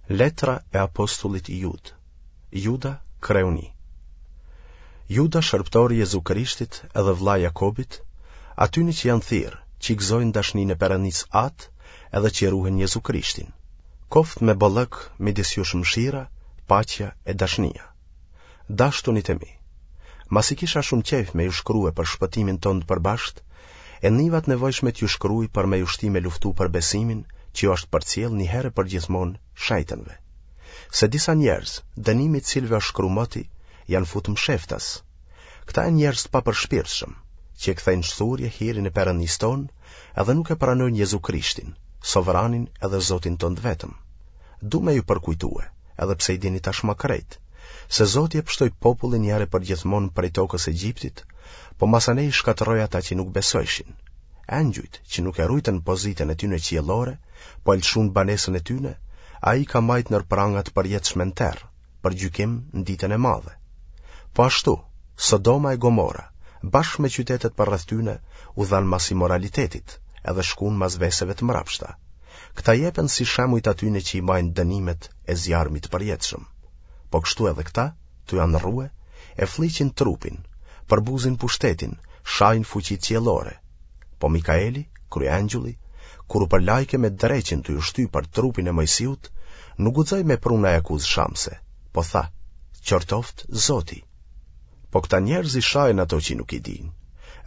Letra e apostullit Jud. Juda, kreu një. Juda, shërbëtori i Jezu Krishtit edhe vëlla i Jakobit, atyne që janë thirrë, që i gëzojnë dashninë e Perëndisë Atë edhe që e ruhen Jezu Krishtin. Koftë me bollëk midis jush mëshira, paqja e dashnia. Dashtunit e mi, masi kisha shumë qejf me ju shkrue për shpëtimin tonë të përbashkët, e niva të nevojshme t'ju shkruj për me ju shti me luftu për besimin që ju është përcjellë një herë e përgjithmonë shejtënve. Se disa njerëz, dënimi i të cilëve është shkru moti, janë futë msheftas. Këta janë njerëz të papërshpirtshëm, që e kthejnë shthurje hirin e Perëndisë tonë edhe nuk e pranojnë Jezu Krishtin, sovranin edhe Zotin tonë të vetëm. Du me ju përkujtue, edhe pse i dini tashmë krejt, se Zoti e pshtoi popullin një herë e përgjithmonë prej tokës Egjiptit, po masanej i shkatërroi ata që nuk besojshin. Engjujt, që nuk e rujtën pozitën e tyne qiellore, po e lëshun banesën e tyne, ai i ka majtë nër pranga të përjetshme në terr, për gjykim në ditën e madhe. Po ashtu, Sodoma e Gomora, bashkë me qytetet përreth tyne, u dhanë mas imoralitetit, edhe shkun mas veseve të mrapshta. Këta jepen si shembuj të atyne që i majnë dënimet e zjarmit të përjetshëm. Po kështu edhe këta, tu e andrrue, e flliqin trupin, përbuzin pushtetin, shajnë fuqitë qiellore. Po Mikaeli, kryeëngjulli, kur u përlajke me dreqin tu ju shty për trupin e Mojsiut, nuk guxoi me pru naj akuzë shamëse, po tha, qortoftë Zoti. Po këta njerëz i shajnë ato që nuk i dinë,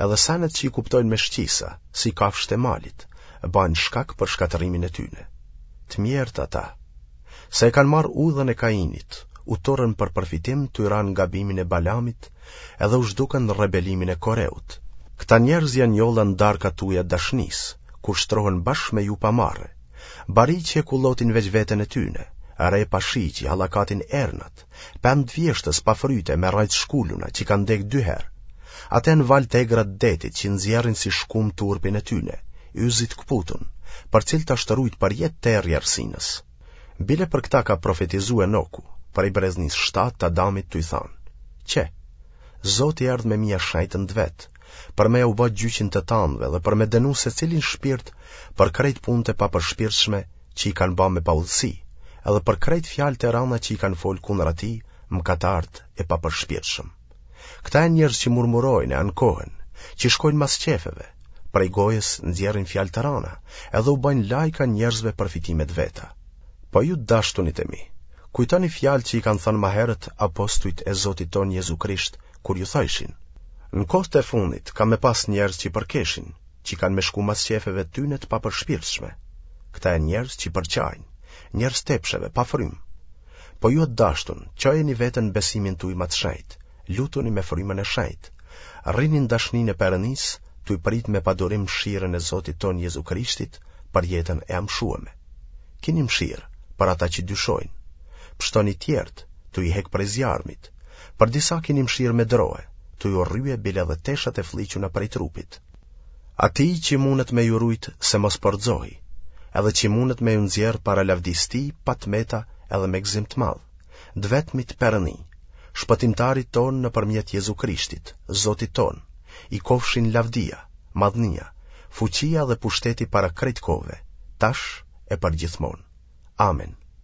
edhe senet që i kuptojnë me shqisa, si kafshët e malit, bajnë shkak për shkatërrimin e tyne. Të mjerët ata, se e kanë marrë udhën e Kainit, u turrën për përfitim tu ra në gabimin e Balamit, edhe u zhdukën në rebelimin e Koreut. Këta njerëz janë njolla në darkat tuaja të dashnisë, kur shtrohen bashkë me ju pa marre. Bari që e kullotin veç veten e tyne, re pa shi që i hallakatin ernat, pemë të vjeshtës pa fryte me rrajë të shkuluna që kanë dekë dy herë. Ata janë valë të egra të detit që nxjerrin si shkumë turpin e tyne, yzi të këputun, për të cilët është rujt përjetë terri i errësinës. Bile për këta ka profetizu Enoku, prej breznisë shtatë të Adamit tuj thanë, Qe, Zoti erdh me mija shejtën të vet, për me jau ba gjyqin të tanëve dhe për me dënu secilin shpirt për krejt punët e papërshpirtshme që i kanë ba me paudhësi, edhe për krejt fjalët e rana që i kanë folë kundra tij mëkatarët e papërshpirtshëm. Këta janë njerëz që murmurojnë e ankohen, që shkojnë mas qefeve, prej gojës nxjerrin fjalë të rana, edhe u bajnë lajka njerëzve për fitime të veta. Po ju të dashtunit e mi, kujtoni fjalët që i kanë thënë ma herët apostujt e Zotit tonë Jezu Krisht kur ju thojshin: Në kohët e fundit ka me pas njerëz që përkeshin, që kanë me shku mas qefeve të tyne të papërshpirtshme. Këta janë njerëz që përçajnë, njerëz t'epsheve, pa frymë. Po ju të dashtun, çojeni veten në besimin tuj ma të shenjtë, lutuni me frymën e shenjtë. Rrini në dashninë e Perëndisë, tuj prit me padurim mëshirën e Zotit tonë Jezu Krishtit për jetën e amshueme. Kini mëshirë për ata që dyshojnë. Pshtoni tjerët, tuj i hek prej zjarmit. Për disa kini mëshirë me droje, tuj urrye bile edhe teshat e flliquna prej trupit. Atij që mundet me ju rujt se mos po rrëzohi, edhe që mundet me ju nxjerrë para lavdisë tij pa të meta edhe me gëzim të madh, të vetmit Perëndi, Shpëtimtarit tonë nëpërmjet Jezu Krishtit, Zotit tonë, i kofshin lavdia, madhnia, fuqia dhe pushteti para krejt kohëve, tash e përgjithmonë. Amen.